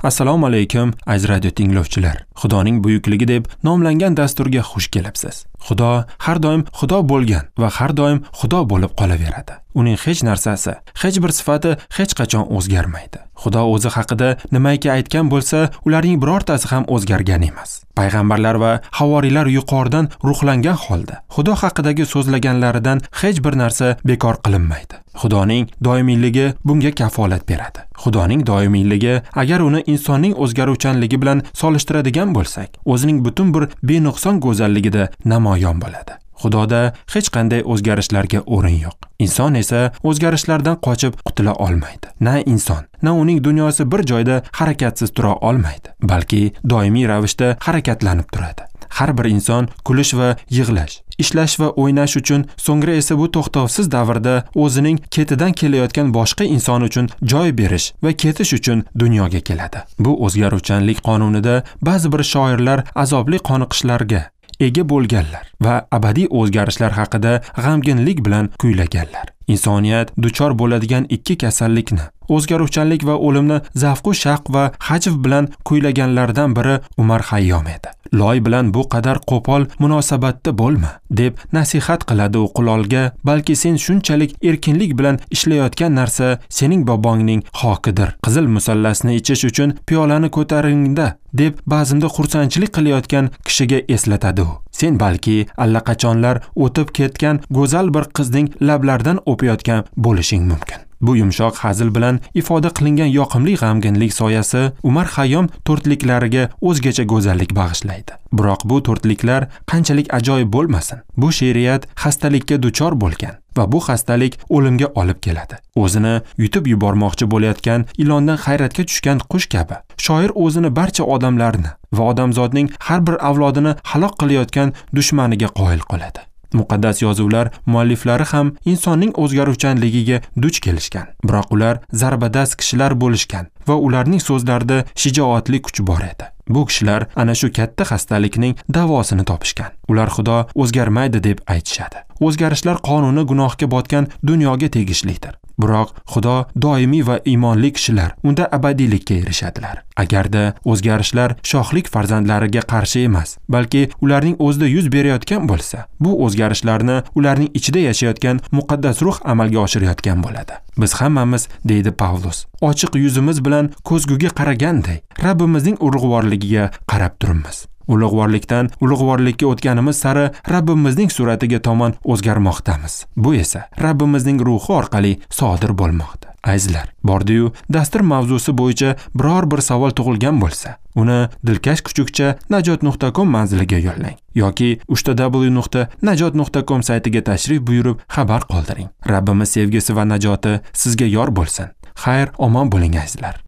Assalomu alaykum, aziz radio tinglovchilar. Xudoning buyukligi deb nomlangan dasturga xush kelibsiz. Xudo har doim Xudo bo'lgan va har doim Xudo bo'lib qolaveradi. Uning hech narsasi, hech bir sifati hech qachon o'zgarmaydi. Xudo o'zi haqida nimaiki aytgan bo'lsa, ularning birortasi ham o'zgargan emas. Payg'ambarlar va havoriylar yuqoridan ruhlangan holda Xudo haqidagi so'zlaganlaridan hech bir narsa bekor qilinmaydi. Xudoning doimiyligi bunga kafolat beradi. Xudoning doimiyligi, agar uni insonning o'zgaruvchanligi bilan solishtiradigan bo'lsak, o'zining butun bir benuqson go'zalligida namoyon bo'ladi. Xudoda hech qanday o'zgarishlarga o'rin yo'q. Inson esa o'zgarishlardan qochib qutula olmaydi. Na inson, na uning dunyosi bir joyda harakatsiz tura olmaydi, balki doimiy ravishda harakatlanib turadi. Har bir inson kulish va yig'lash, ishlash va o'ynash uchun, so'ngra esa bu to'xtovsiz davrda o'zining ketidan kelayotgan boshqa inson uchun joy berish va ketish uchun dunyoga keladi. Bu o'zgaruvchanlik qonunida ba'zi bir shoirlar azobli qoniqishlarga ega bo'lganlar va abadiy o'zgarishlar haqida g'amginlik bilan kuylaganlar. Insoniyat duchor bo'ladigan ikki kasallikni, o'zgaruvchanlik va o'limni zavqu shaqq va hajv bilan kuylaganlardan biri Umar Hayyom edi. Loy bilan bu qadar qo'pol munosabatda bo'lma, deb nasihat qiladi u qulolga, balki sen shunchalik erkinlik bilan ishlayotgan narsa sening bobongning xokidir. Qizil musallasni ichish uchun piyolani ko'taringda, deb ba'zimda xursandchilik qilayotgan kishiga eslatadi u. Sen balki allaqachonlar o'tib ketgan go'zal bir qizning lablaridan o'payotgan bo'lishing mumkin. Bu yumshoq hazil bilan ifoda qilingan yoqimli g'amginlik soyasi Umar Hayyom to'rtliklariga o'zgacha go'zallik bag'ishlaydi. Biroq bu to'rtliklar qanchalik ajoyib bo'lmasin, bu she'riyat xastalikka duchor bo'lgan va bu xastalik o'limga olib keladi. O'zini yutib yubormoqchi bo'layotgan ilondan hayratga tushgan qush kabi shoir o'zini barcha odamlarni va odamzodning har bir avlodini halok qilayotgan dushmaniga qoyil qoladi. Muqaddas yozuvlar mualliflari ham insonning o'zgaruvchanligiga duch kelishgan. Biroq ular zarbadast kishilar bo'lishgan va ularning so'zlarida shijoatli kuch bor edi. Bu kishilar ana shu katta xastalikning davosini topishgan. Ular Xudo o'zgarmaydi deb aytishadi. O'zgarishlar qonuni gunohga botgan dunyoga tegishlidir. Biroq Xudo doimiy va iymonli kishilar unda abadiylikka erishadilar. Agarda o'zgarishlar shohlik farzandlariga qarshi emas, balki ularning o'zida yuz berayotgan bo'lsa, bu o'zgarishlarni ularning ichida yashayotgan muqaddas ruh amalga oshirayotgan bo'ladi. Biz hammamiz, deydi Pavlus, ochiq yuzimiz bilan ko'zguga qaraganday Rabbimizning ulug'vorligiga qarab turibmiz. Ulug'vorlikdan ulug'vorlikka o'tganimiz sari Rabbimizning suratiga tomon o'zgarmoqdamiz. Bu esa Rabbimizning ruhi orqali sodir bo'lmoqda. Azizlar, bordi-yu dastur mavzusi bo'yicha biror bir savol tug'ilgan bo'lsa, uni dilkash kuchukcha najot.com manziliga yo'llang yoki www.najot.com saytiga tashrif buyurib xabar qoldiring. Rabbimiz sevgisi va najoti sizga yor bo'lsin. Xayr, omon bo'ling azizlar.